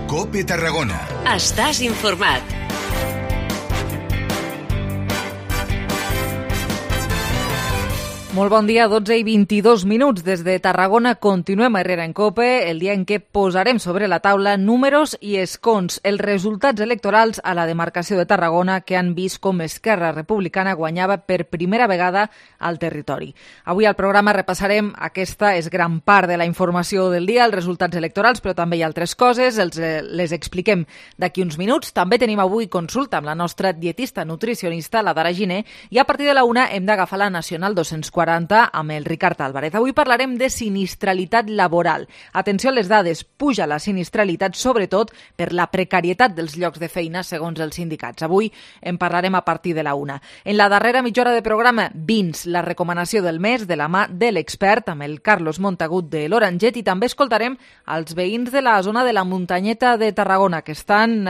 COPE Tarragona. Estàs informat. Molt bon dia, 12 i 22 minuts. Des de Tarragona continuem a Herrera en COPE, el dia en què posarem sobre la taula números i escons, els resultats electorals a la demarcació de Tarragona que han vist com Esquerra Republicana guanyava per primera vegada al territori. Avui al programa repassarem aquesta és gran part de la informació del dia, els resultats electorals, però també hi ha altres coses, les expliquem d'aquí uns minuts. També tenim avui consulta amb la nostra dietista nutricionista, la Dara Giner, i a partir de la 1 hem d'agafar la Nacional 240 amb el Ricard Álvarez. Avui parlarem de sinistralitat laboral. Atenció a les dades, puja la sinistralitat sobretot per la precarietat dels llocs de feina segons els sindicats. Avui en parlarem a partir de la 1. En la darrera mitja hora de programa, vins, la recomanació del mes de la mà de l'expert amb el Carlos Montagut de l'Oranget, i també escoltarem els veïns de la zona de la Muntanyeta de Tarragona que estan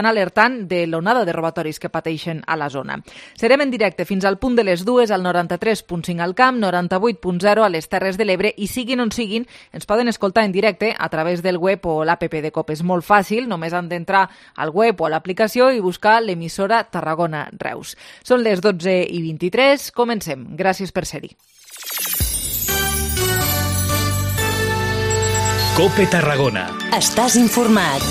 alertant de l'onada de robatoris que pateixen a la zona. Serem en directe fins al punt de les 2 al 93.5 al Camp, 98.0 a les Terres de l'Ebre, i siguin on siguin, ens poden escoltar en directe a través del web o l'APP de COPE. És molt fàcil, només han d'entrar al web o a l'aplicació i buscar l'emissora Tarragona Reus. Són les 12 i 23, comencem. Gràcies per ser-hi. COPE Tarragona. Estàs informat.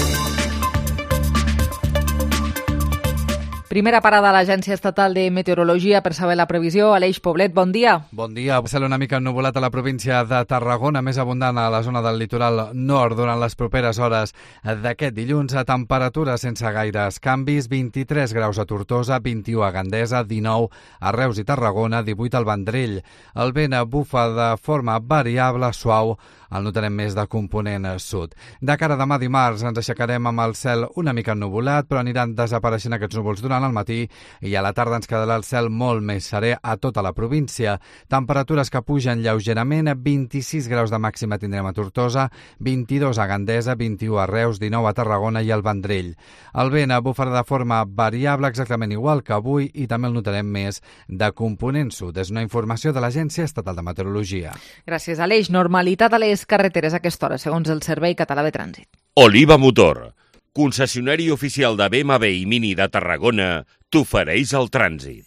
Primera parada a l'Agència Estatal de Meteorologia per saber la previsió. Aleix Poblet, bon dia. Bon dia. Cel una mica ennuvolat a la província de Tarragona, més abundant a la zona del litoral nord durant les properes hores d'aquest dilluns. A temperatures sense gaires canvis, 23 graus a Tortosa, 21 a Gandesa, 19 a Reus i Tarragona, 18 al Vendrell. El vent bufa de forma variable, suau, el notarem més de component sud. De cara a demà dimarts ens aixecarem amb el cel una mica ennuvolat, però aniran desapareixent aquests núvols durant el matí i a la tarda ens quedarà el cel molt més serè a tota la província. Temperatures que pugen lleugerament, 26 graus de màxima tindrem a Tortosa, 22 a Gandesa, 21 a Reus, 19 a Tarragona i al Vendrell. El vent bufarà de forma variable exactament igual que avui i també el notarem més de component sud. És una informació de l'Agència Estatal de Meteorologia. Gràcies, Aleix. Normalitat a les carreteres a aquesta hora, segons el Servei Català de Trànsit. Oliva Motor, concessionari oficial de BMW i Mini de Tarragona, t'ofereix el trànsit.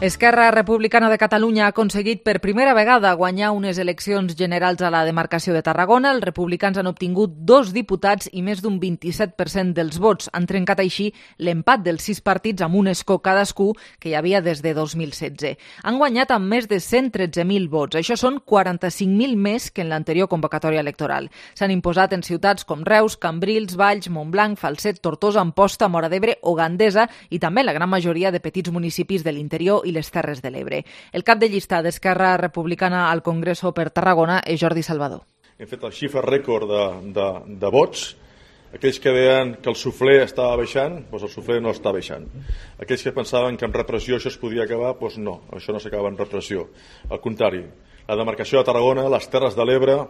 Esquerra Republicana de Catalunya ha aconseguit per primera vegada guanyar unes eleccions generals a la demarcació de Tarragona. Els republicans han obtingut 2 diputats i més d'un 27% dels vots. Han trencat així l'empat dels 6 partits amb un escó cadascú que hi havia des de 2016. Han guanyat amb més de 113.000 vots. Això són 45.000 més que en l'anterior convocatòria electoral. S'han imposat en ciutats com Reus, Cambrils, Valls, Montblanc, Falset, Tortosa, Amposta, Móra d'Ebre o Gandesa i també la gran majoria de petits municipis de l'interior i les Terres de l'Ebre. El cap de llista d'Esquerra Republicana al Congreso per Tarragona és Jordi Salvador. Hem fet el xifra rècord de vots. Aquells que deien que el suflé estava baixant, doncs el suflé no està baixant. Aquells que pensaven que amb repressió això es podia acabar, doncs no, això no s'acaba amb repressió. Al contrari, la demarcació de Tarragona, les Terres de l'Ebre,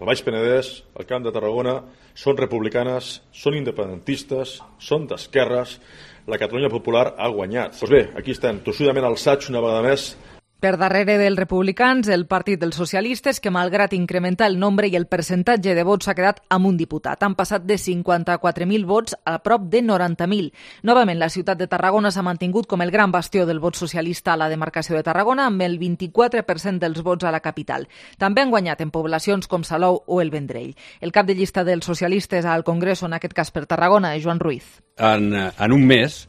el Baix Penedès, el Camp de Tarragona, són republicanes, són independentistes, són d'esquerres. La Catalunya Popular ha guanyat. Doncs bé, aquí estem, tossudament alçats una vegada més. Per darrere dels republicans, el Partit dels Socialistes, que malgrat incrementar el nombre i el percentatge de vots s'ha quedat amb un diputat. Han passat de 54.000 vots a prop de 90.000. Novament, la ciutat de Tarragona s'ha mantingut com el gran bastió del vot socialista a la demarcació de Tarragona, amb el 24% dels vots a la capital. També han guanyat en poblacions com Salou o el Vendrell. El cap de llista dels socialistes al Congreso, en aquest cas per Tarragona, és Joan Ruiz. En un mes,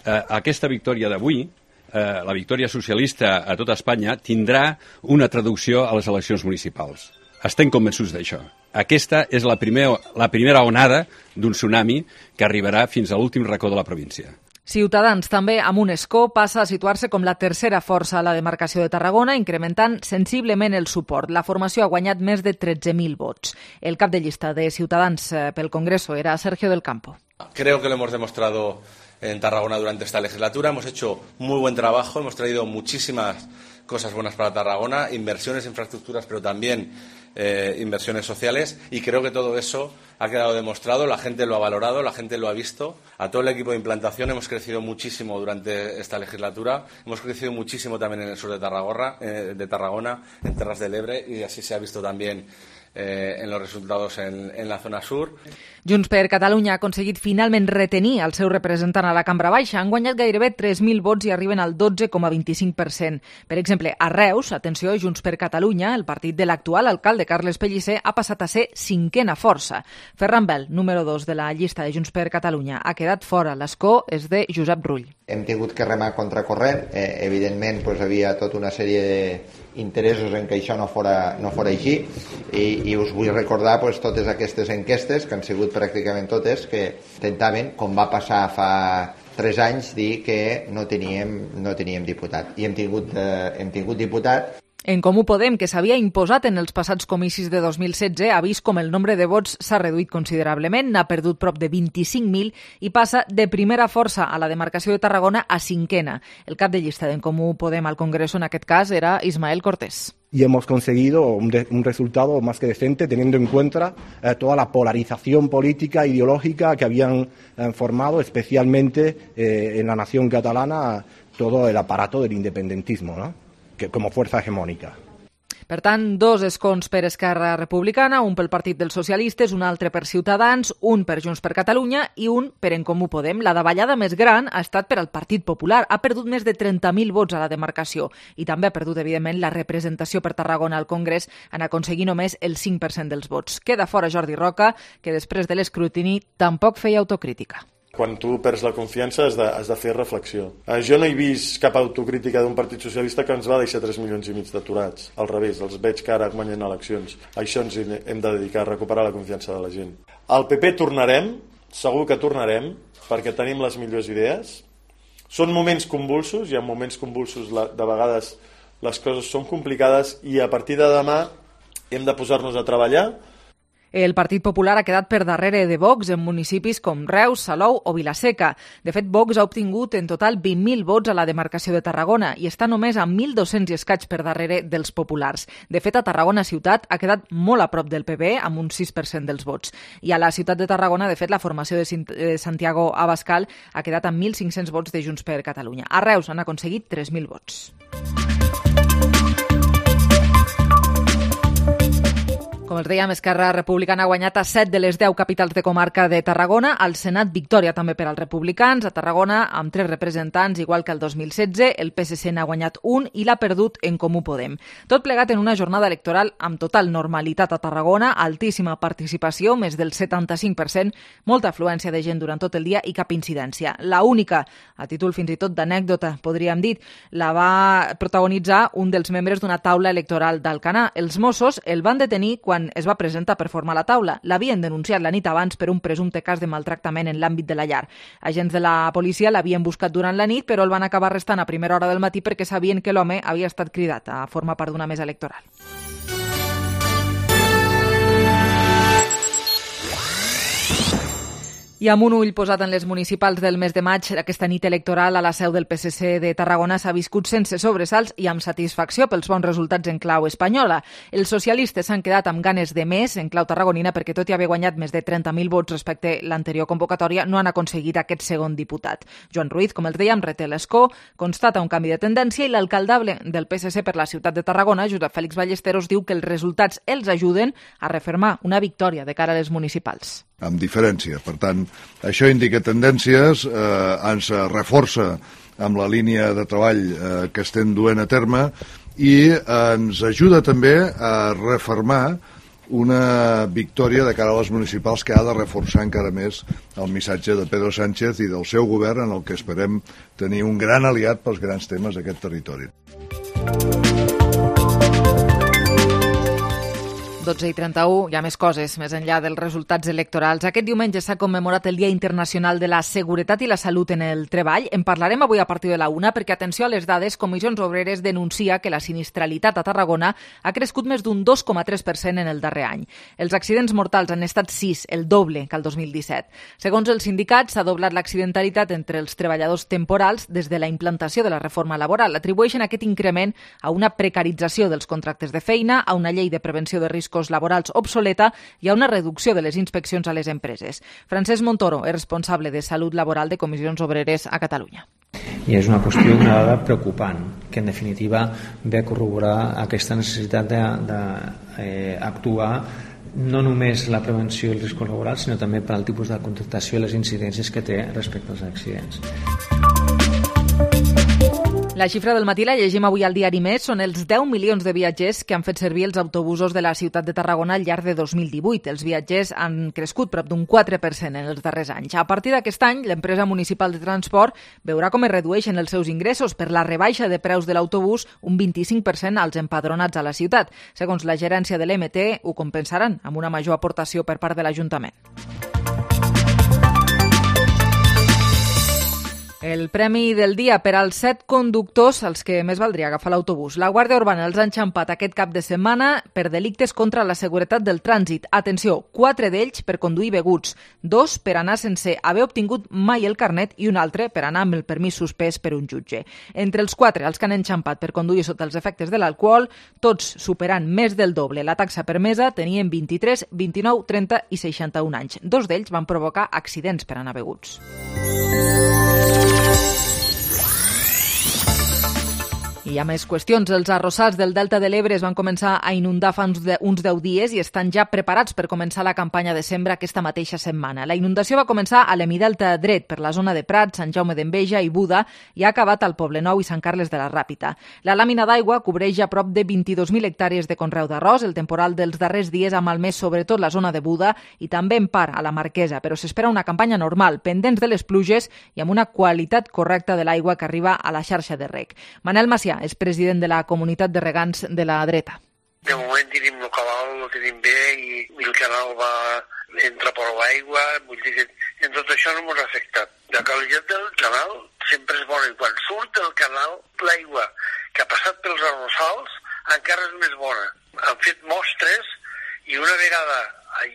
aquesta victòria d'avui, la victòria socialista a tot Espanya, tindrà una traducció a les eleccions municipals. Estem convençuts d'això. Aquesta és la primera onada d'un tsunami que arribarà fins a l'últim racó de la província. Ciutadans, també amb un escó, passa a situar-se com la tercera força a la demarcació de Tarragona, incrementant sensiblement el suport. La formació ha guanyat més de 13.000 vots. El cap de llista de Ciutadans pel Congreso era Sergio del Campo. Creo que lo hemos demostrado en Tarragona durante esta legislatura. Hemos hecho muy buen trabajo, hemos traído muchísimas cosas buenas para Tarragona, inversiones, infraestructuras, pero también inversiones sociales, y creo que todo eso ha quedado demostrado, la gente lo ha valorado, la gente lo ha visto. A todo el equipo de implantación hemos crecido muchísimo durante esta legislatura, hemos crecido muchísimo también en el sur de Tarragona, en Terras del Ebre, y así se ha visto también en los resultados en la zona sur. Junts per Catalunya ha aconseguit finalment retenir el seu representant a la Cambra Baixa. Han guanyat gairebé 3.000 vots i arriben al 12,25%. Per exemple, a Reus, atenció, Junts per Catalunya, el partit de l'actual alcalde Carles Pellicer, ha passat a ser cinquena força. Ferran Bel, número 2 de la llista de Junts per Catalunya, ha quedat fora. L'escó és de Josep Rull. Hem tingut que remar contracorrent. Evidentment, havia tota una sèrie d'interessos en que això no fora així i us vull recordar totes aquestes enquestes que han sigut pràcticament totes que intentaven, com va passar fa 3 anys, dir que no teníem diputat i hem tingut diputat. En Comú Podem, que s'havia imposat en els passats comicis de 2016, ha vist com el nombre de vots s'ha reduït considerablement, n'ha perdut prop de 25.000 i passa de primera força a la demarcació de Tarragona a cinquena. El cap de llista d'en Comú Podem al Congreso en aquest cas era Ismael Cortés. Y hemos conseguido un resultado más que decente, teniendo en cuenta toda la polarización política, ideológica que habían formado, especialmente en la nación catalana, todo el aparato del independentismo, ¿no? Que como fuerza hegemónica. Per tant, 2 escons per Esquerra Republicana, un pel Partit dels Socialistes, un altre per Ciutadans, un per Junts per Catalunya i un per En Comú Podem. La davallada més gran ha estat per al Partit Popular. Ha perdut més de 30.000 vots a la demarcació i també ha perdut, evidentment, la representació per Tarragona al Congrés en aconseguir només el 5% dels vots. Queda fora Jordi Roca, que després de l'escrutini tampoc feia autocrítica. Quan tu perds la confiança has de fer reflexió. Jo no he vist cap autocrítica d'un Partit Socialista que ens va deixar 3 milions i mig d'aturats. Al revés, els veig que ara guanyen eleccions. A això ens hem de dedicar, a recuperar la confiança de la gent. Al PP tornarem, segur que tornarem, perquè tenim les millors idees. Són moments convulsos, hi ha moments convulsos, de vegades les coses són complicades i a partir de demà hem de posar-nos a treballar. El Partit Popular ha quedat per darrere de Vox en municipis com Reus, Salou o Vilaseca. De fet, Vox ha obtingut en total 20.000 vots a la demarcació de Tarragona i està només a 1.200 i escaig per darrere dels populars. De fet, a Tarragona ciutat ha quedat molt a prop del PP, amb un 6% dels vots. I a la ciutat de Tarragona, de fet, la formació de Santiago Abascal ha quedat amb 1.500 vots de Junts per Catalunya. A Reus han aconseguit 3.000 vots. Com els dèiem, Esquerra Republicana ha guanyat a 7 de les 10 capitals de comarca de Tarragona. Al Senat, victòria també per als republicans. A Tarragona, amb 3 representants, igual que el 2016, el PSC n'ha guanyat un i l'ha perdut En Comú Podem. Tot plegat en una jornada electoral amb total normalitat a Tarragona, altíssima participació, més del 75%, molta afluència de gent durant tot el dia i cap incidència. La única, a títol fins i tot d'anècdota, podríem dir, la va protagonitzar un dels membres d'una taula electoral d'Alcanar. Els Mossos el van detenir quan es va presentar per formar la taula. L'havien denunciat la nit abans per un presumpte cas de maltractament en l'àmbit de la llar. Agents de la policia l'havien buscat durant la nit, però el van acabar arrestant a primera hora del matí perquè sabien que l'home havia estat cridat a formar part d'una mesa electoral. I amb un ull posat en les municipals del mes de maig, aquesta nit electoral a la seu del PSC de Tarragona s'ha viscut sense sobresalts i amb satisfacció pels bons resultats en clau espanyola. Els socialistes s'han quedat amb ganes de més en clau tarragonina perquè, tot i haver guanyat més de 30.000 vots respecte a l'anterior convocatòria, no han aconseguit aquest segon diputat. Joan Ruiz, com els dèiem, reté l'escó, constata un canvi de tendència i l'alcaldable del PSC per la ciutat de Tarragona, Josep Fèlix Ballesteros, diu que els resultats els ajuden a refermar una victòria de cara a les municipals. Amb diferència. Per tant, això indica tendències, ens reforça amb la línia de treball que estem duent a terme i ens ajuda també a refermar una victòria de cara a les municipals que ha de reforçar encara més el missatge de Pedro Sánchez i del seu govern, en el que esperem tenir un gran aliat pels grans temes d'aquest territori. 12:31, hi ha més coses, més enllà dels resultats electorals. Aquest diumenge s'ha commemorat el Dia Internacional de la Seguretat i la Salut en el Treball. En parlarem avui a partir de la 1, perquè, atenció a les dades, Comissions Obreres denuncia que la sinistralitat a Tarragona ha crescut més d'un 2,3% en el darrer any. Els accidents mortals han estat 6, el doble que el 2017. Segons els sindicats, s'ha doblat l'accidentalitat entre els treballadors temporals des de la implantació de la reforma laboral. Atribueixen aquest increment a una precarització dels contractes de feina, a una llei de prevenció de riscos laborals obsoleta i a una reducció de les inspeccions a les empreses. Francesc Montoro és responsable de Salut Laboral de Comissions Obreres a Catalunya. I és una qüestió, una dada preocupant, que en definitiva ve a corroborar aquesta necessitat d'actuar no només la prevenció i els riscos laborals, sinó també per al tipus de contractació i les incidències que té respecte als accidents. La xifra del matí la llegim avui al diari Més. Són els 10 milions de viatgers que han fet servir els autobusos de la ciutat de Tarragona al llarg de 2018. Els viatgers han crescut prop d'un 4% en els darrers anys. A partir d'aquest any, l'empresa municipal de transport veurà com es redueixen els seus ingressos per la rebaixa de preus de l'autobús, un 25% als empadronats a la ciutat. Segons la gerència de l'MT, ho compensaran amb una major aportació per part de l'Ajuntament. El premi del dia per als 7 conductors als que més valdria agafar l'autobús. La Guàrdia Urbana els ha enxampat aquest cap de setmana per delictes contra la seguretat del trànsit. Atenció, 4 d'ells per conduir beguts, 2 per anar sense haver obtingut mai el carnet i un altre per anar amb el permís suspès per un jutge. Entre els 4, els que han enxampat per conduir sota els efectes de l'alcohol, tots superant més del doble la taxa permesa, tenien 23, 29, 30 i 61 anys. 2 d'ells van provocar accidents per anar beguts. I hi ha més qüestions. Els arrossars del Delta de l'Ebre es van començar a inundar fa uns 10 dies i estan ja preparats per començar la campanya de sembra aquesta mateixa setmana. La inundació va començar a l'Hemidelta dret, per la zona de Prat, Sant Jaume d'Enveja i Buda, i ha acabat al Poblenou i Sant Carles de la Ràpita. La làmina d'aigua cobreix ja prop de 22.000 hectàrees de conreu d'arròs. El temporal dels darrers dies ha malmès sobretot la zona de Buda i també en part a la Marquesa, però s'espera una campanya normal, pendents de les pluges i amb una qualitat correcta de l'aigua que arriba a la xarxa de reg. Manel Macià és president de la comunitat de regants de la dreta. De moment tenim el canal, lo tenim bé i el canal entra prou aigua, vull dir que en tot això no ens ha afectat. La qualitat del canal sempre és bona i quan surt del canal l'aigua que ha passat pels arrossals encara és més bona. Han fet mostres i una vegada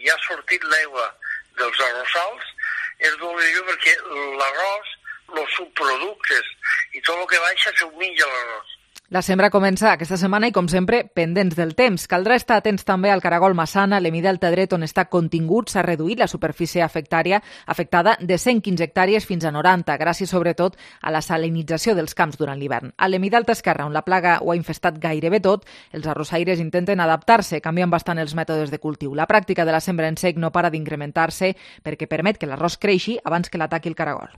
ja ha sortit l'aigua dels arrossals és molt millor perquè l'arròs, els subproductes i tot el que baixa s'ho menja l'arròs. La sembra comença aquesta setmana i, com sempre, pendents del temps. Caldrà estar atents també al Caragol Massana, l'Hemidelta dret, on està contingut. S'ha reduït la superfície afectada de 115 hectàrees fins a 90, gràcies sobretot a la salinització dels camps durant l'hivern. A l'Hemidelta esquerra, on la plaga ho ha infestat gairebé tot, els arrossaires intenten adaptar-se, canviant bastant els mètodes de cultiu. La pràctica de la sembra en sec no para d'incrementar-se perquè permet que l'arròs creixi abans que l'ataqui el caragol.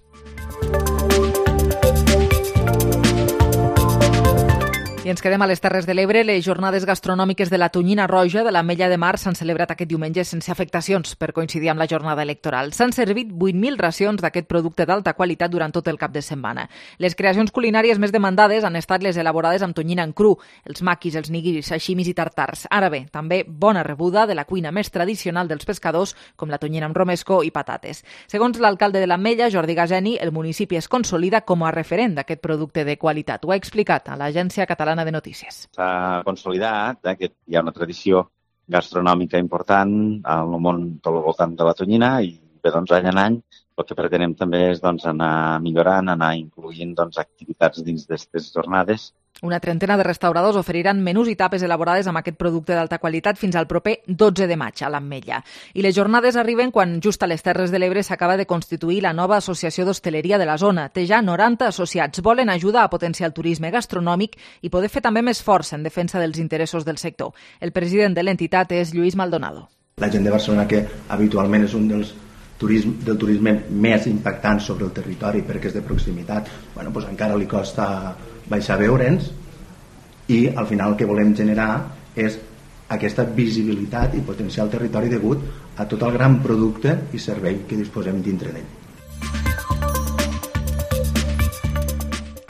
I ens quedem a les Terres de l'Ebre. Les jornades gastronòmiques de la tonyina roja de l'Ametlla de Mar s'han celebrat aquest diumenge sense afectacions per coincidir amb la jornada electoral. S'han servit 8.000 racions d'aquest producte d'alta qualitat durant tot el cap de setmana. Les creacions culinàries més demandades han estat les elaborades amb tonyina en cru, els maquis, els nigiris, sashimis i tartars. Ara bé, també bona rebuda de la cuina més tradicional dels pescadors, com la tonyina amb romesco i patates. Segons l'alcalde de l'Ametlla, Jordi Gaseni, el municipi es consolida com a referent d'aquest producte de qualitat. Ho ha explicat a l'Agència Catalana de Notícies. S'ha consolidat que hi ha una tradició gastronòmica important al món tot al voltant de la tonyina i bé, doncs, any en any el que pretenem també és anar millorant, anar incloent activitats dins d'aquestes jornades. Una trentena de restauradors oferiran menús i tapes elaborades amb aquest producte d'alta qualitat fins al proper 12 de maig a l'Ametlla. I les jornades arriben quan just a les Terres de l'Ebre s'acaba de constituir la nova associació d'hostaleria de la zona. Té ja 90 associats. Volen ajudar a potenciar el turisme gastronòmic i poder fer també més força en defensa dels interessos del sector. El president de l'entitat és Lluís Maldonado. La gent de Barcelona, que habitualment és un del turisme més impactant sobre el territori perquè és de proximitat, doncs encara li costa baixar a veure'ns i al final el que volem generar és aquesta visibilitat i potenciar el territori degut a tot el gran producte i servei que disposem dintre d'ell.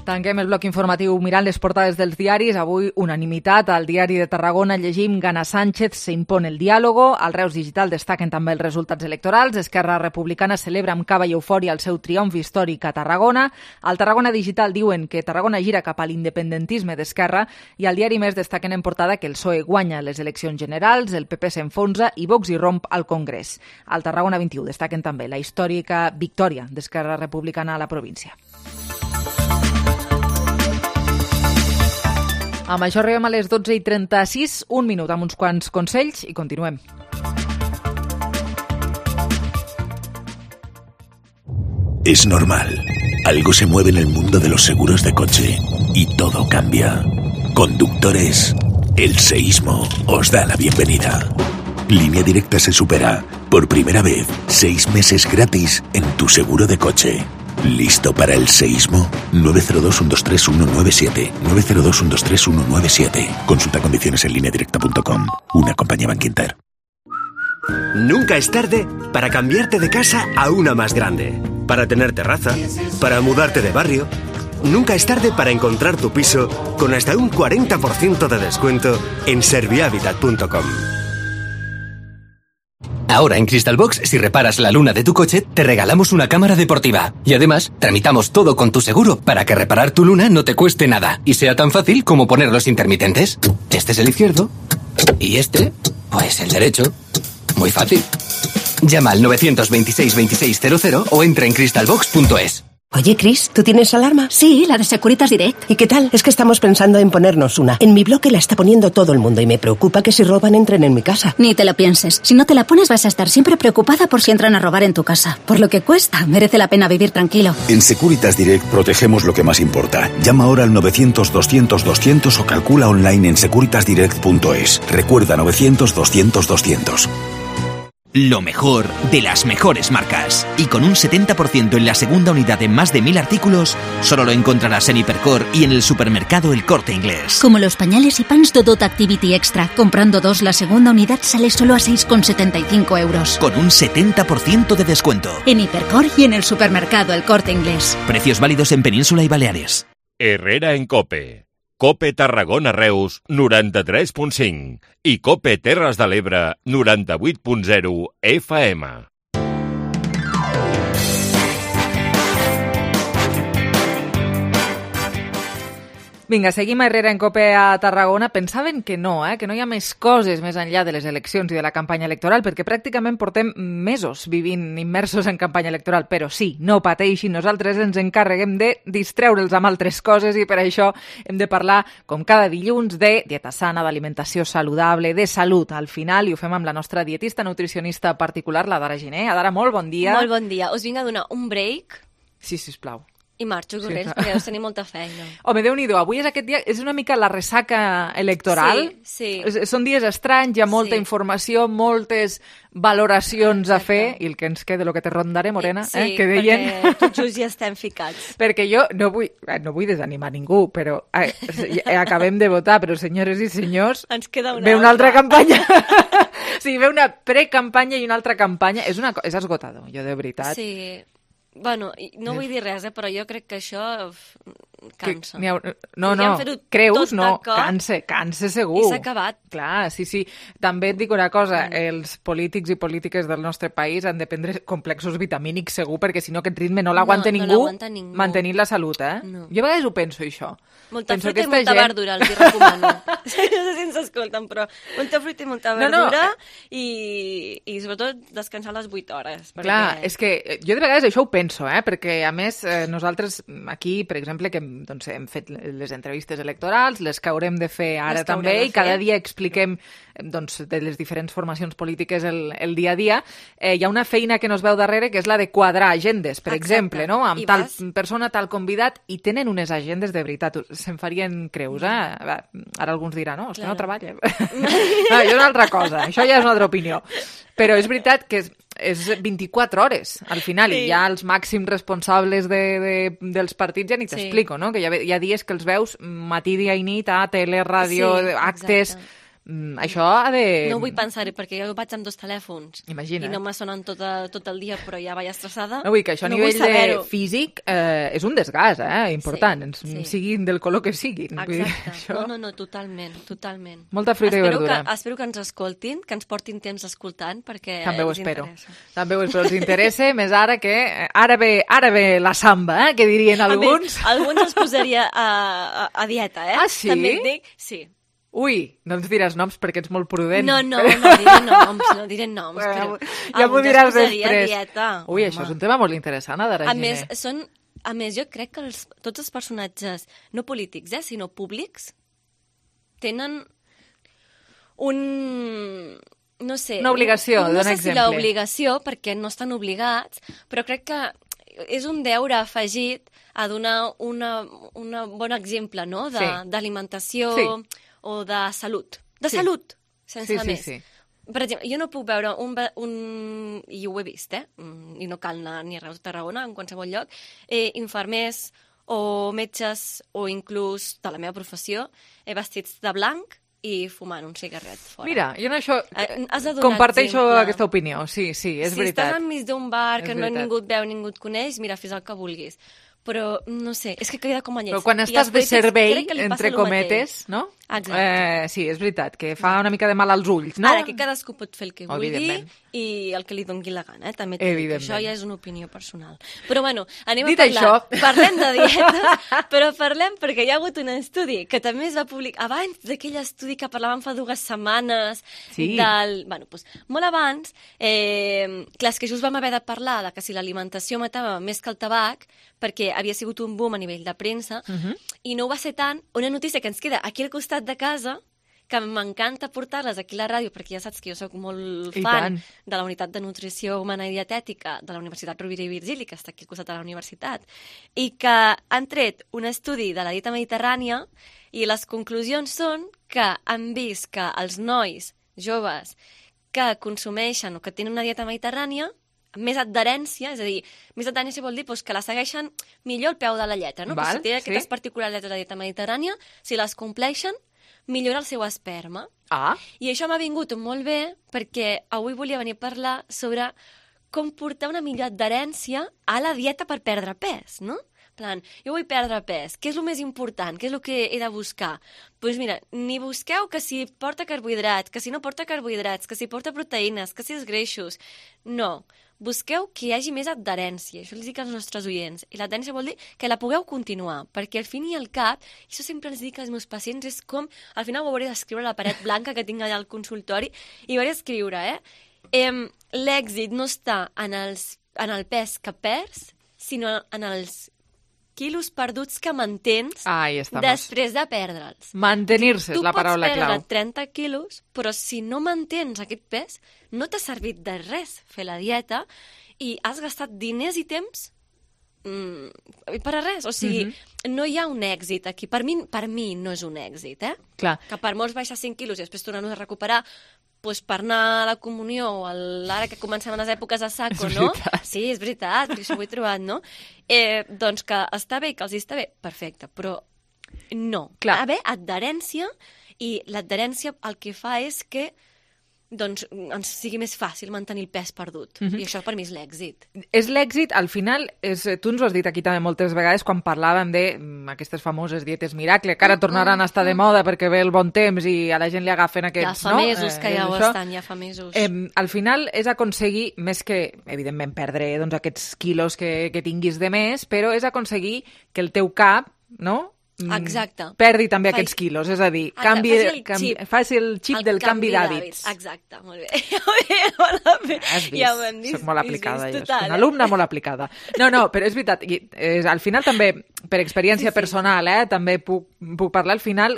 Tanquem el bloc informatiu mirant les portades dels diaris. Avui, unanimitat. Al diari de Tarragona llegim Gana Sánchez se impone el diàlogo. Al Reus Digital destaquen també els resultats electorals. Esquerra Republicana celebra amb cava i eufòria el seu triomf històric a Tarragona. Al Tarragona Digital diuen que Tarragona gira cap a l'independentisme d'Esquerra i al diari Més destaquen en portada que el PSOE guanya les eleccions generals, el PP s'enfonsa i Vox irromp al Congrés. Al Tarragona 21 destaquen també la històrica victòria d'Esquerra Republicana a la província. Amb això arribem a les 12:36, un minut amb uns quants consells i continuem. Es normal. Algo se mueve en el mundo de los seguros de coche y todo cambia. Conductores, el seísmo os da la bienvenida. Línea Directa se supera. Por primera vez, 6 meses gratis en tu seguro de coche. ¿Listo para el seísmo? 902-123-197. 902-123-197. Consulta condiciones en lineadirecta.com. Una compañía Bankinter. Nunca es tarde para cambiarte de casa a una más grande. Para tener terraza. Para mudarte de barrio. Nunca es tarde para encontrar tu piso con hasta un 40% de descuento en servihabitat.com. Ahora en Crystalbox, si reparas la luna de tu coche, te regalamos una cámara deportiva. Y además, tramitamos todo con tu seguro para que reparar tu luna no te cueste nada y sea tan fácil como poner los intermitentes. Este es el izquierdo y este, pues el derecho. Muy fácil. Llama al 926-2600 o entra en crystalbox.es. Oye, Chris, ¿tú tienes alarma? Sí, la de Securitas Direct. ¿Y qué tal? Es que estamos pensando en ponernos una. En mi bloque la está poniendo todo el mundo y me preocupa que si roban entren en mi casa. Ni te lo pienses. Si no te la pones vas a estar siempre preocupada por si entran a robar en tu casa. Por lo que cuesta, merece la pena vivir tranquilo. En Securitas Direct protegemos lo que más importa. Llama ahora al 900-200-200 o calcula online en securitasdirect.es. Recuerda 900-200-200. Lo mejor de las mejores marcas. Y con un 70% en la segunda unidad en más de 1000 artículos, solo lo encontrarás en Hipercor y en el supermercado El Corte Inglés. Como los pañales y pants Dodot Activity Extra. Comprando 2, la segunda unidad sale solo a 6,75 euros. Con un 70% de descuento. En Hipercor y en el supermercado El Corte Inglés. Precios válidos en Península y Baleares. Herrera en COPE. COPE Tarragona Reus 93.5 i COPE Terres de l'Ebre 98.0 FM. Vinga, seguim a Herrera en COPE a Tarragona. Pensaven que no hi ha més coses més enllà de les eleccions i de la campanya electoral, perquè pràcticament portem mesos vivint immersos en campanya electoral, però sí, no pateixin, nosaltres ens encarreguem de distreure'ls amb altres coses i per això hem de parlar, com cada dilluns, de dieta sana, d'alimentació saludable, de salut al final, i ho fem amb la nostra dietista nutricionista particular, la Dara Giner. Dara, molt bon dia. Molt bon dia. Us vinc a donar un break. Sí, sisplau. I marxo corrents, perquè deus tenir molta feina. Home, Déu-n'hi-do, avui és aquest dia, és una mica la ressaca electoral. Sí. Són dies estranys, hi ha molta informació, moltes valoracions a fer, i el que ens queda, el que te rondaré, Morena, que deien... Sí, perquè tot just ja estem ficats. Perquè jo no vull desanimar ningú, però acabem de votar, però senyores i senyors, ens queda ve una altra campanya. Sí, ve una precampanya i una altra campanya. És esgotador, jo de veritat. Sí. Bueno, no vull dir res, però jo crec que això cansa. No, creus? No, cansa segur. I s'ha acabat. Clar, sí. També et dic una cosa, els polítics i polítiques del nostre país han de prendre complexos vitamínics segur, perquè si no aquest ritme no l'aguanta ningú mantenint la salut, No. Jo a vegades ho penso, això. Molta fruita i molta verdura, els hi recomano. No sé si ens escolten, però molta fruita i molta verdura i sobretot descansar les 8 hores. Clar, és que jo de vegades això ho penso, perquè a més nosaltres aquí, per exemple, que hem fet les entrevistes electorals, les que haurem de fer ara també, i cada dia expliquem de les diferents formacions polítiques el dia a dia, hi ha una feina que no es veu darrere, que és la de quadrar agendes, per exemple, no? Amb tal persona, tal convidat, i tenen unes agendes de veritat, se'n farien creus, Ara alguns diran, no, és que no treballen. No, això és una altra cosa, això ja és una altra opinió. Però és veritat que és 24 hores, al final, i ja els màxims responsables dels partits ja ni t'explico, no? Que hi ha dies que els veus matí, dia i nit a tele, ràdio, actes... Això ha de... No vull pensar-hi, perquè jo vaig amb 2 telèfons. Imagina. I no me sonen tot el dia, però ja vaig estressada. No vull que això a nivell de físic és un desgast, important, siguin del color que siguin. Exacte. No, totalment. Molta fruita i verdura. Espero que ens escoltin, que ens portin temps escoltant, perquè també ho espero. També ho espero, els interessa, més ara que... Ara ve la samba, que dirien alguns. Alguns els posaria a dieta, Ah, sí? També et dic, sí. Ui, no ens diràs noms perquè ets molt prudent. No diré noms. Però ja m'ho diràs després. Dieta. Ui, això és un tema molt interessant, Dara Giner. A més, jo crec que tots els personatges, no polítics, sinó públics, tenen no sé... Una obligació, dona exemple. No sé si l'obligació, perquè no estan obligats, però crec que és un deure afegit a donar un bon exemple, no?, d'alimentació o de salut. De salut, sense més. per exemple, jo no puc veure i ho he vist, i no cal anar ni a Reus de Tarragona, en qualsevol lloc, infermers o metges o inclús de la meva professió vestits de blanc i fumant un cigarret fora. Mira, jo en això Has de donar comparteixo exemple. aquesta opinió, sí, és veritat. Si estàs enmig d'un bar que És veritat. ningú et veu, ningú et coneix, mira, fes el que vulguis. Però, no sé, és que queda com a lleig. Però quan estàs de servei, entre cometes, no? Exacte. Sí, és veritat, que fa una mica de mal als ulls, no? Ara, que cadascú pot fer el que vulgui Evidentment. i el que li doni la gana, també t'ho dic, això ja és una opinió personal. Però bueno, anem Dit a parlar. això. Parlem de dietes, però parlem perquè hi ha hagut un estudi que també es va publicar abans d'aquell estudi que parlàvem fa 2 setmanes, bueno, doncs, molt abans, clar, és que just vam haver de parlar de que si l'alimentació matava més que el tabac, perquè havia sigut un boom a nivell de premsa, i no ho va ser tant. Una notícia que ens queda aquí al costat de casa, que m'encanta portar-les aquí a la ràdio, perquè ja saps que jo sóc molt fan de la Unitat de Nutrició Humana i Dietètica de la Universitat Rovira i Virgili, que està aquí al costat de la universitat, i que han tret un estudi de la dieta mediterrània i les conclusions són que han vist que els nois joves que consumeixen o que tenen una dieta mediterrània més adherència, és a dir, més adherència vol dir que la segueixen millor al peu de la lletra, no? Si té aquestes particularitats de la dieta mediterrània, si les compleixen, millora el seu esperma. I això m'ha vingut molt bé perquè avui volia venir a parlar sobre com portar una millor adherència a la dieta per perdre pes, no? Plan, jo vull perdre pes, què és el més important? Què és el que he de buscar? Doncs mira, ni busqueu que si porta carbohidrats, que si no porta carbohidrats, que si porta proteïnes, que si és greixos. No, busqueu que hi hagi més adherència, això els dic als nostres oients. I l'adherència vol dir que la pugueu continuar, perquè al fin i al cap, i això sempre els dic als meus pacients, és com, al final ho hauré d'escriure a la paret blanca que tinc allà al consultori, i hauré d'escriure, l'èxit no està en el pes que perds, sinó en els quilos perduts que mantens després de perdre'ls. Mantenir-se és la paraula clau. Tu pots perdre 30 quilos, però si no mantens aquest pes, no t'ha servit de res fer la dieta i has gastat diners i temps per a res. O sigui, no hi ha un èxit aquí. Per mi no és un èxit, Clar. Que per molts baixar 5 quilos i després tornar-nos a recuperar doncs per anar a la comunió o ara que comencem les èpoques de saco, no? Sí, és veritat, això ho he trobat, no? Doncs que està bé, que els està bé, perfecte, però no. Ha d'haver adherència i l'adherència el que fa és que doncs ens sigui més fàcil mantenir el pes perdut. I això per mi és l'èxit. És l'èxit, al final, tu ens ho has dit aquí també moltes vegades quan parlàvem d'aquestes famoses dietes miracle, que ara tornaran a estar de moda perquè ve el bon temps i a la gent li agafen aquests... Ja fa mesos que ja ho estan, ja fa mesos. Al final és aconseguir, més que, evidentment, perdre aquests quilos que tinguis de més, però és aconseguir que el teu cap, no?, exacte. Perdi també aquests quilos, és a dir, faci el xip del canvi d'hàbits. Exacte, molt bé. Has vist? Ja ho hem vist. Soc molt aplicada, jo. Total, Una alumna molt aplicada. No, però és veritat, al final també, per experiència personal, també puc parlar, al final,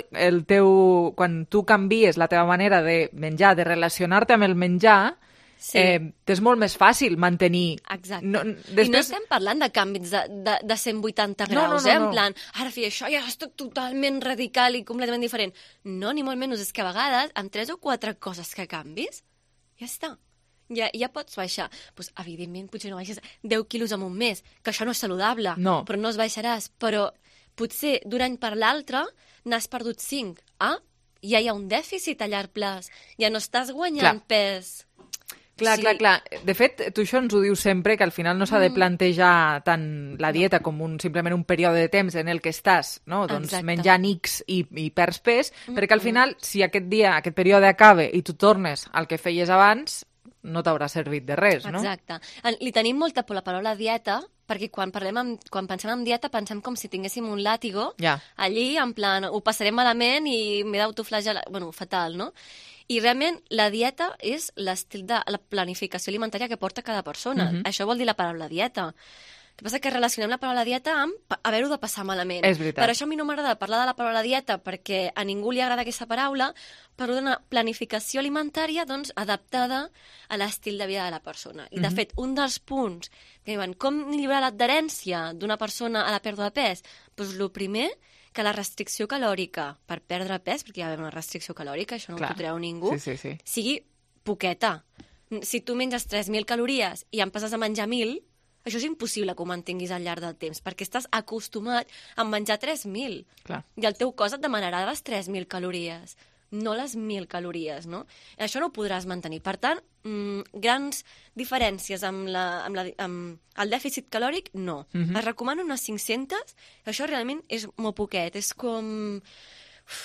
quan tu canvies la teva manera de menjar, de relacionar-te amb el menjar, t'és molt més fàcil mantenir... Exacte. I no estem parlant de canvis de 180 graus, en plan, ara fer això ja és totalment radical i completament diferent. No, ni molt menys, és que a vegades, amb 3 o 4 coses que canvis, ja està. Ja pots baixar. Doncs, evidentment, potser no baixes 10 quilos en un mes, que això no és saludable, però no els baixaràs. Però potser d'un any per l'altre n'has perdut 5. Ja hi ha un dèficit a llarg plaç. Ja no estàs guanyant pes... Clar. De fet, tu això ens ho dius sempre, que al final no s'ha de plantejar tant la dieta com simplement un període de temps en el que estàs, no? Doncs menjant X i perds pes, perquè al final, si aquest període acaba i tu tornes al que feies abans, no t'haurà servit de res, no? Exacte. Li tenim molta por la paraula dieta, perquè quan pensem en dieta pensem com si tinguéssim un làtigo allí, en plan, ho passarem malament i m'he d'autoflagelar, bueno, fatal, no? I realment la dieta és l'estil de la planificació alimentària que porta cada persona. Això vol dir la paraula dieta. El que passa que relacionem la paraula dieta amb haver-ho de passar malament. És veritat. Per això a mi no m'agrada parlar de la paraula dieta, perquè a ningú li agrada aquesta paraula, parlo d'una planificació alimentària doncs, adaptada a l'estil de vida de la persona. I, de fet, un dels punts que diuen com millorar l'adherència d'una persona a la pèrdua de pes, doncs el primer, que la restricció calòrica per perdre pes, perquè hi ha una restricció calòrica, això no ho treu ningú, sigui poqueta. Si tu menges 3.000 calories i en passes a menjar 1.000, això és impossible que ho mantinguis al llarg del temps, perquè estàs acostumat a menjar 3.000. Clar. I el teu cos et demanarà les 3.000 calories, no les 1.000 calories, no? Això no ho podràs mantenir. Per tant, grans diferències amb el dèficit calòric, no. Es recomana unes 500, això realment és molt poquet, és com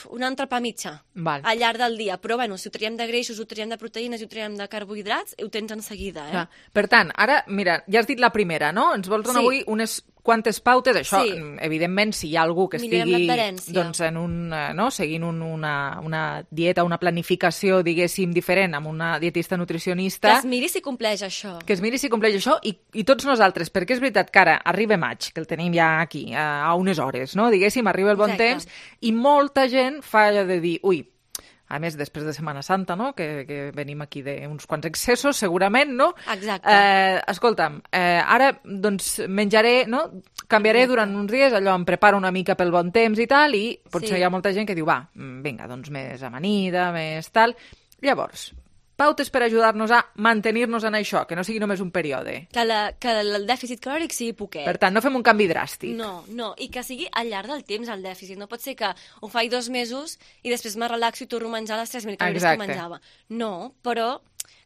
un entrepà mitjà al llarg del dia. Però, bueno, si ho traiem de greixos, ho traiem de proteïnes i ho traiem de carbohidrats, ho tens en seguida, eh? Clar. Per tant, ara, mira, ja has dit la primera, no? Ens vols donar avui unes quantes pautes? Això, evidentment, si hi ha algú que estigui doncs, seguint una dieta, una planificació, diguéssim, diferent, amb una dietista nutricionista... Que es miri si compleix això. Que es miri si compleix això i tots nosaltres, perquè és veritat que ara arriba maig, que el tenim ja aquí, a unes hores, no? Diguéssim, arriba el bon temps, i molta gent fa allò de dir, ui, a més, després de Setmana Santa, no?, que venim aquí d'uns quants excessos, segurament, no? Exacte. Escolta'm, ara, doncs, menjaré, no?, canviaré durant uns dies, allò, em preparo una mica pel bon temps i tal, i potser hi ha molta gent que diu, va, vinga, doncs més amanida, més tal. Llavors, pautes per ajudar-nos a mantenir-nos en això, que no sigui només un període. Que el dèficit calòric sigui poquet. Per tant, no fem un canvi dràstic. No, i que sigui al llarg del temps el dèficit. No pot ser que ho faig 2 mesos i després me relaxo i torno a menjar les 3.000 calories que menjava. No, però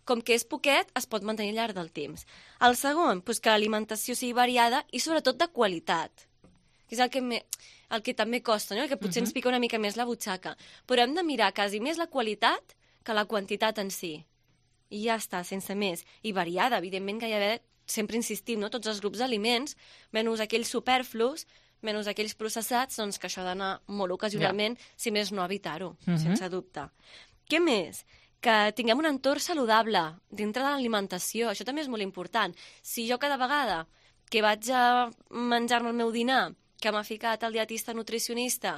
com que és poquet, es pot mantenir al llarg del temps. El segon, doncs que l'alimentació sigui variada i sobretot de qualitat, que és el que també costa, no? El que potser ens pica una mica més la butxaca. Però hem de mirar quasi més la qualitat que la quantitat en si. I ja està, sense més. I variada, evidentment que hi ha d'haver, sempre insistim, no? Tots els grups d'aliments, menys aquells superflus, menys aquells processats, doncs que això ha d'anar molt ocasionalment, si més no evitar-ho, sense dubte. Què més? Que tinguem un entorn saludable dintre de l'alimentació, això també és molt important. Si jo cada vegada que vaig a menjar-me el meu dinar, que m'ha ficat el dietista nutricionista,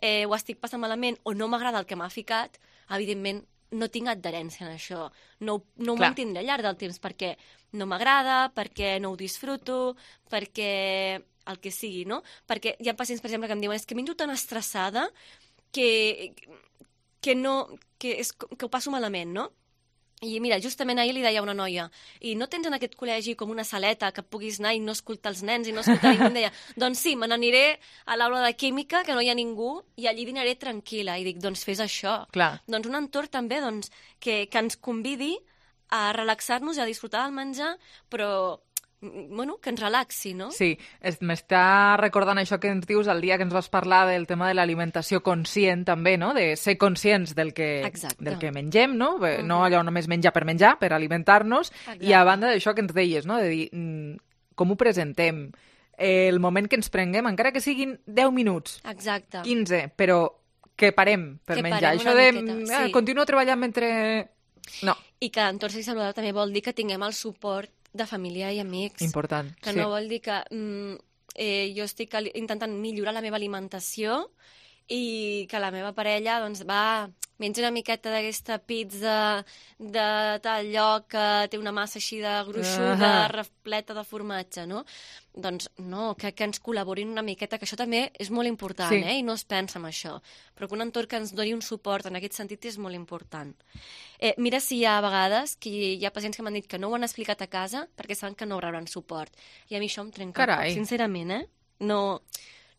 ho estic passant malament o no m'agrada el que m'ha ficat, evidentment no tinc adherència en això. No ho mantindré al llarg del temps perquè no m'agrada, perquè no ho disfruto, perquè el que sigui, no? Perquè hi ha pacients, per exemple, que em diuen és que menjo tan estressada que ho passo malament, no? I mira, justament ahir li deia a una noia, i no tens en aquest col·legi com una saleta que puguis anar i no escoltar els nens i no escoltar ningú? Em deia, doncs sí, me n'aniré a l'aula de química, que no hi ha ningú, i allí dinaré tranquil·la. I dic, doncs fes això. Clar. Doncs un entorn també que ens convidi a relaxar-nos i a disfrutar del menjar, però que ens relaxi, no? Sí, m'està recordant això que ens dius el dia que ens vas parlar del tema de l'alimentació conscient també, no? De ser conscients del que mengem, no? No allò només menjar, per alimentar-nos. I a banda d'això que ens deies, no? De dir com ho presentem, el moment que ens prenguem, encara que siguin 10 minuts, 15, però que parem per menjar. Això de continuo treballant mentre... No. I que l'entorn saludable també vol dir que tinguem el suport de família i amics. Important, que no vol dir que jo estic intentant millorar la meva alimentació i que la meva parella doncs menja una miqueta d'aquesta pizza de tal lloc que té una massa així de gruixuda, repleta de formatge, no? Doncs no, que ens col·laborin una miqueta, que això també és molt important, i no es pensa en això, però que un entorn que ens doni un suport en aquest sentit és molt important. Mira si hi ha vegades que hi ha pacients que m'han dit que no ho han explicat a casa perquè saben que no rebran suport. I a mi això em trenca un poc, sincerament,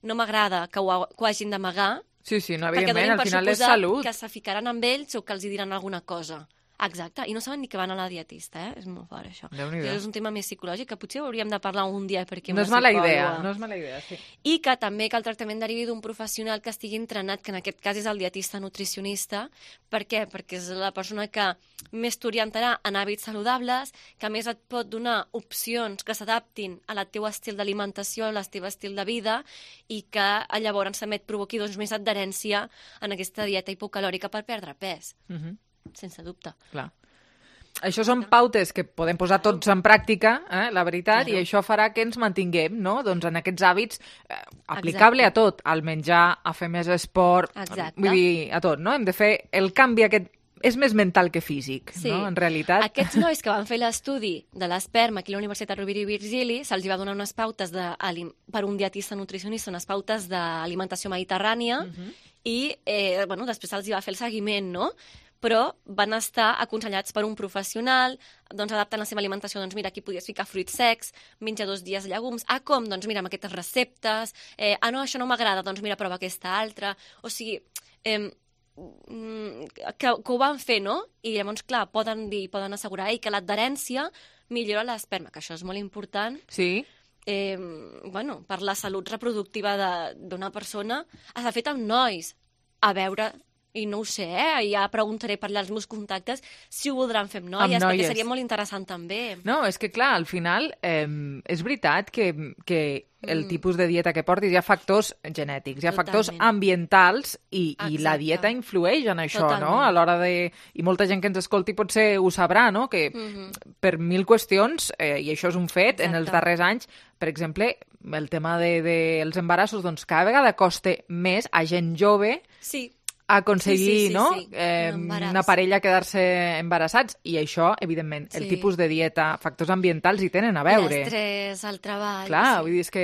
No m'agrada que ho hagin d'amagar, sí, no, evidentment, al final és salut. Que se ficaran amb ells o que els diran alguna cosa. Exacte, i no saben ni que van a la dietista, és molt fort això. És un tema més psicològic que potser hauríem de parlar un dia perquè no és mala idea, sí. I que també que el tractament derivi d'un professional que estigui entrenat, que en aquest cas és el dietista nutricionista. Per què? Perquè és la persona que més t'orientarà en hàbits saludables, que més et pot donar opcions que s'adaptin al teu estil d'alimentació, al teu estil de vida, i que llavors també et provoqui més adherència en aquesta dieta hipocalòrica per perdre pes. Sense dubte. Clar. Això són pautes que podem posar tots en pràctica, la veritat, i això farà que ens mantinguem, no? Doncs en aquests hàbits aplicable a tot, al menjar, a fer més esport, vull dir, a tot, no? Hem de fer el canvi aquest. És més mental que físic, no? En realitat. Aquests nois que van fer l'estudi de l'esperma aquí a la Universitat Rovira i Virgili, se'ls va donar unes pautes per un dietista nutricionista, unes pautes d'alimentació mediterrània, i després se'ls va fer el seguiment, no? però van estar aconsellats per un professional, doncs adaptant la seva alimentació, doncs mira, aquí podies ficar fruits secs, menja 2 dies llegums, com? Doncs mira, amb aquestes receptes, no, això no m'agrada, doncs mira, prova aquesta altra, o sigui, que ho van fer, no? I llavors, clar, poden assegurar que l'adherència millora l'esperma, que això és molt important. Sí. Bueno, per la salut reproductiva d'una persona. S'ha fet amb nois, a veure... I no ho sé, ja preguntaré per allà als meus contactes si ho voldran fer amb noies, perquè seria molt interessant també. No, és que clar, al final és veritat que el tipus de dieta que portis, hi ha factors genètics, hi ha factors ambientals i la dieta influeix en això, no? A l'hora de... I molta gent que ens escolti potser ho sabrà, no? Que per 1000 qüestions, i això és un fet, en els darrers anys, per exemple, el tema dels embarassos, doncs cada vegada costa més a gent jove aconseguir una parella quedar-se embarassats, i això, evidentment, el tipus de dieta, factors ambientals hi tenen a veure. L'estrès, el treball... Clar, vull dir, és que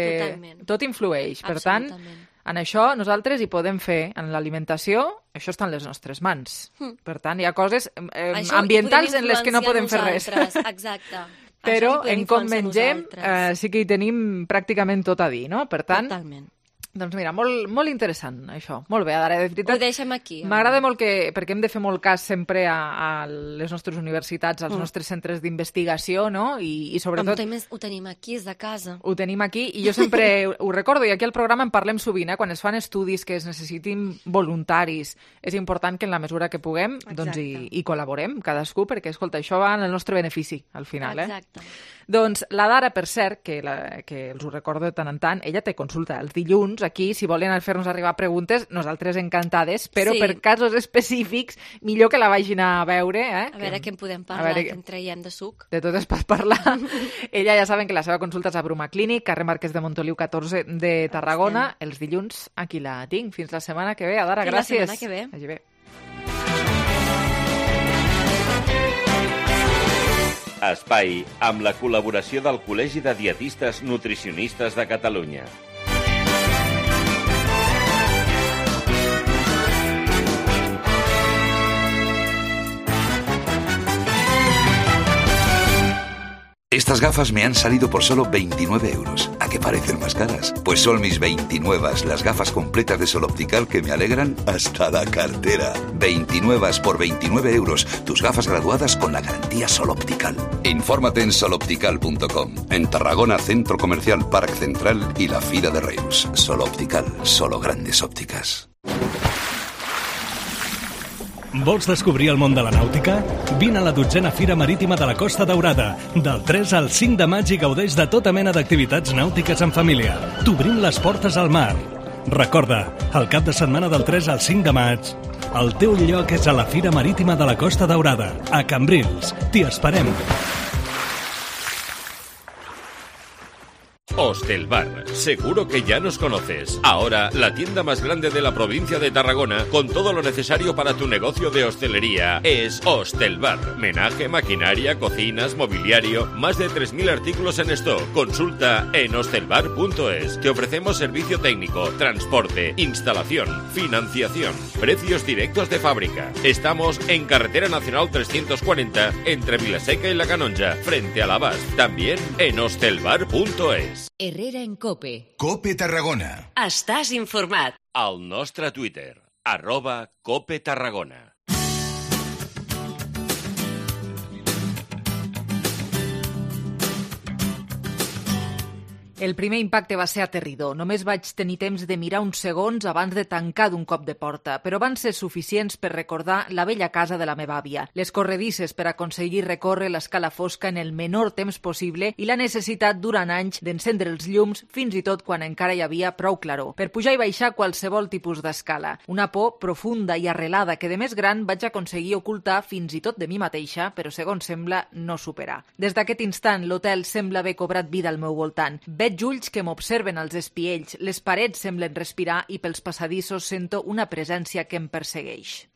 tot influeix. Per tant, en això nosaltres hi podem fer, en l'alimentació, això està en les nostres mans. Per tant, hi ha coses ambientals en les que no podem fer res. Exacte. Però en com mengem sí que hi tenim pràcticament tot a dir, no? Per tant... Totalment. Doncs mira, molt interessant, això. Molt bé, Adara, de veritat. Ho deixem aquí. M'agrada molt perquè hem de fer molt cas sempre a les nostres universitats, als nostres centres d'investigació, no? I sobretot... Ho tenim aquí, és de casa. Ho tenim aquí, i jo sempre ho recordo, i aquí al programa en parlem sovint, quan es fan estudis que es necessitin voluntaris, és important que en la mesura que puguem doncs hi col·laborem, cadascú, perquè, escolta, això va en el nostre benefici, al final. Exacte. Doncs la Dara, per cert, que els ho recordo de tant en tant, ella té consulta els dilluns, aquí, si volen fer-nos arribar preguntes, nosaltres encantades, però per casos específics, millor que la vagin a veure. A veure què en podem parlar, que en traiem de suc. De tot es pot parlar. Ella ja saben que la seva consulta és a Bruma Clínic, carrer Marquès de Montoliu 14 de Tarragona, els dilluns aquí la tinc. Fins la setmana que ve. Adara, gràcies. Fins la setmana que ve. Vagi bé. Espai amb la col·laboració del Col·legi de Dietistes Nutricionistes de Catalunya. Estas gafas me han salido por solo 29 euros. ¿A qué parecen más caras? Pues son mis 29, las gafas completas de Sol Optical que me alegran hasta la cartera. 29 por 29 euros. Tus gafas graduadas con la garantía Sol Optical. Infórmate en soloptical.com. En Tarragona, Centro Comercial Parc Central y la Fira de Reus. Sol Optical, solo grandes ópticas. Vols descobrir el món de la nàutica? Vine a la 12a Fira Marítima de la Costa Daurada, del 3 al 5 de maig, i gaudeix de tota mena d'activitats nàutiques en família. T'obrim les portes al mar. Recorda, el cap de setmana del 3 al 5 de maig, el teu lloc és a la Fira Marítima de la Costa Daurada, a Cambrils. T'hi esperem. Hostelbar, seguro que ya nos conoces. Ahora, la tienda más grande de la provincia de Tarragona, con todo lo necesario para tu negocio de hostelería, es Hostelbar. Menaje, maquinaria, cocinas, mobiliario, más de 3.000 artículos en stock. Consulta en hostelbar.es. Te ofrecemos servicio técnico, transporte, instalación, financiación, precios directos de fábrica. Estamos en Carretera Nacional 340, entre Vilaseca y La Canonja, frente a l'Abast. También en hostelbar.es. Herrera en COPE. COPE Tarragona. Estàs informat. Al nostre Twitter, @COPE Tarragona. El primer impacte va ser aterridor. Només vaig tenir temps de mirar uns segons abans de tancar d'un cop de porta, però van ser suficients per recordar la vella casa de la meva àvia, les corredisses per aconseguir recórrer l'escala fosca en el menor temps possible i la necessitat durant anys d'encendre els llums fins i tot quan encara hi havia prou claror, per pujar i baixar qualsevol tipus d'escala. Una por profunda i arrelada que de més gran vaig aconseguir ocultar fins i tot de mi mateixa, però segons sembla no superar. Des d'aquest instant l'hotel sembla haver cobrat vida al meu voltant. Veig ulls que m'observen als espiells, les parets semblen respirar i pels passadissos sento una presència que em persegueix.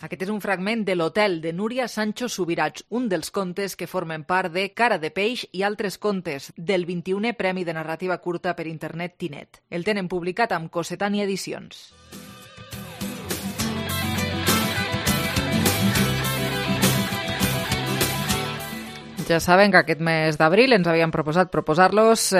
Aquest és un fragment de l'Hotel de Núria Sancho Subirats, un dels contes que formen part de Cara de peix i altres contes del 21è Premi de Narrativa Curta per Internet Tinet. El tenen publicat amb Cossetània Edicions. Ja saben que aquest mes d'abril ens havien proposat proposar-los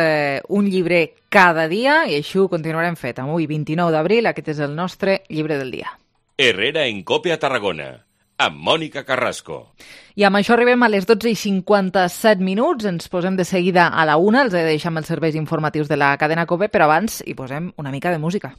un llibre cada dia i així ho continuarem fet. Avui, 29 d'abril, aquest és el nostre llibre del dia. Herrera en Cope a Tarragona, amb Mònica Carrasco. I amb això arribem a les 12:57 minuts. Ens posem de seguida a la 1. Els he de deixar amb els serveis informatius de la cadena Cope, però abans hi posem una mica de música.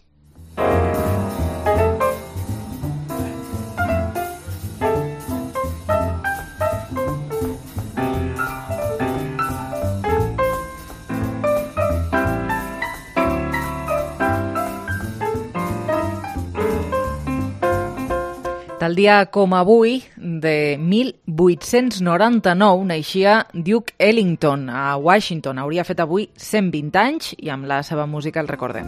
Tal dia com avui, de 1899, naixia Duke Ellington a Washington. Hauria fet avui 120 anys i amb la seva música el recordem.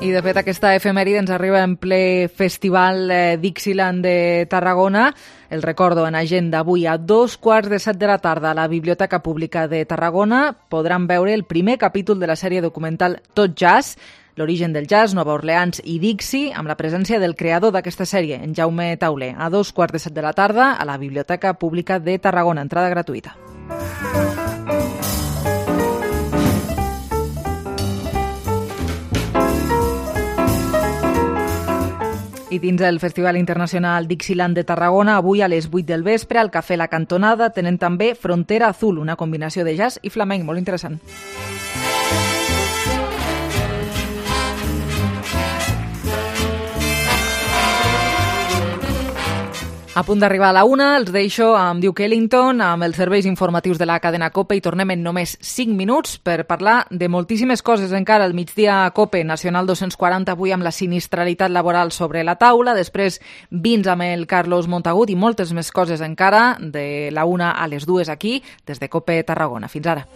I de fet aquesta efemèride ens arriba en ple festival Dixieland de Tarragona. El recordo en agenda avui a 2:15 de la tarda a la Biblioteca Pública de Tarragona podran veure el primer capítol de la sèrie documental Tot Jazz, l'origen del jazz, Nova Orleans i Dixie, amb la presència del creador d'aquesta sèrie, en Jaume Tauler, a 2:15 de la tarda a la Biblioteca Pública de Tarragona, entrada gratuïta. I dins el Festival Internacional Dixieland de Tarragona, avui a les 8 del vespre, al Cafè La Cantonada, tenen també Frontera Azul, una combinació de jazz i flamenc, molt interessant. A punt d'arribar a la 1, els deixo amb Duke Ellington, amb els serveis informatius de la cadena COPE i tornem en només 5 minuts per parlar de moltíssimes coses encara. Al migdia COPE Nacional 240 avui amb la sinistralitat laboral sobre la taula, després vins amb el Carlos Montagut i moltes més coses encara de la 1 a les 2 aquí des de COPE Tarragona. Fins ara.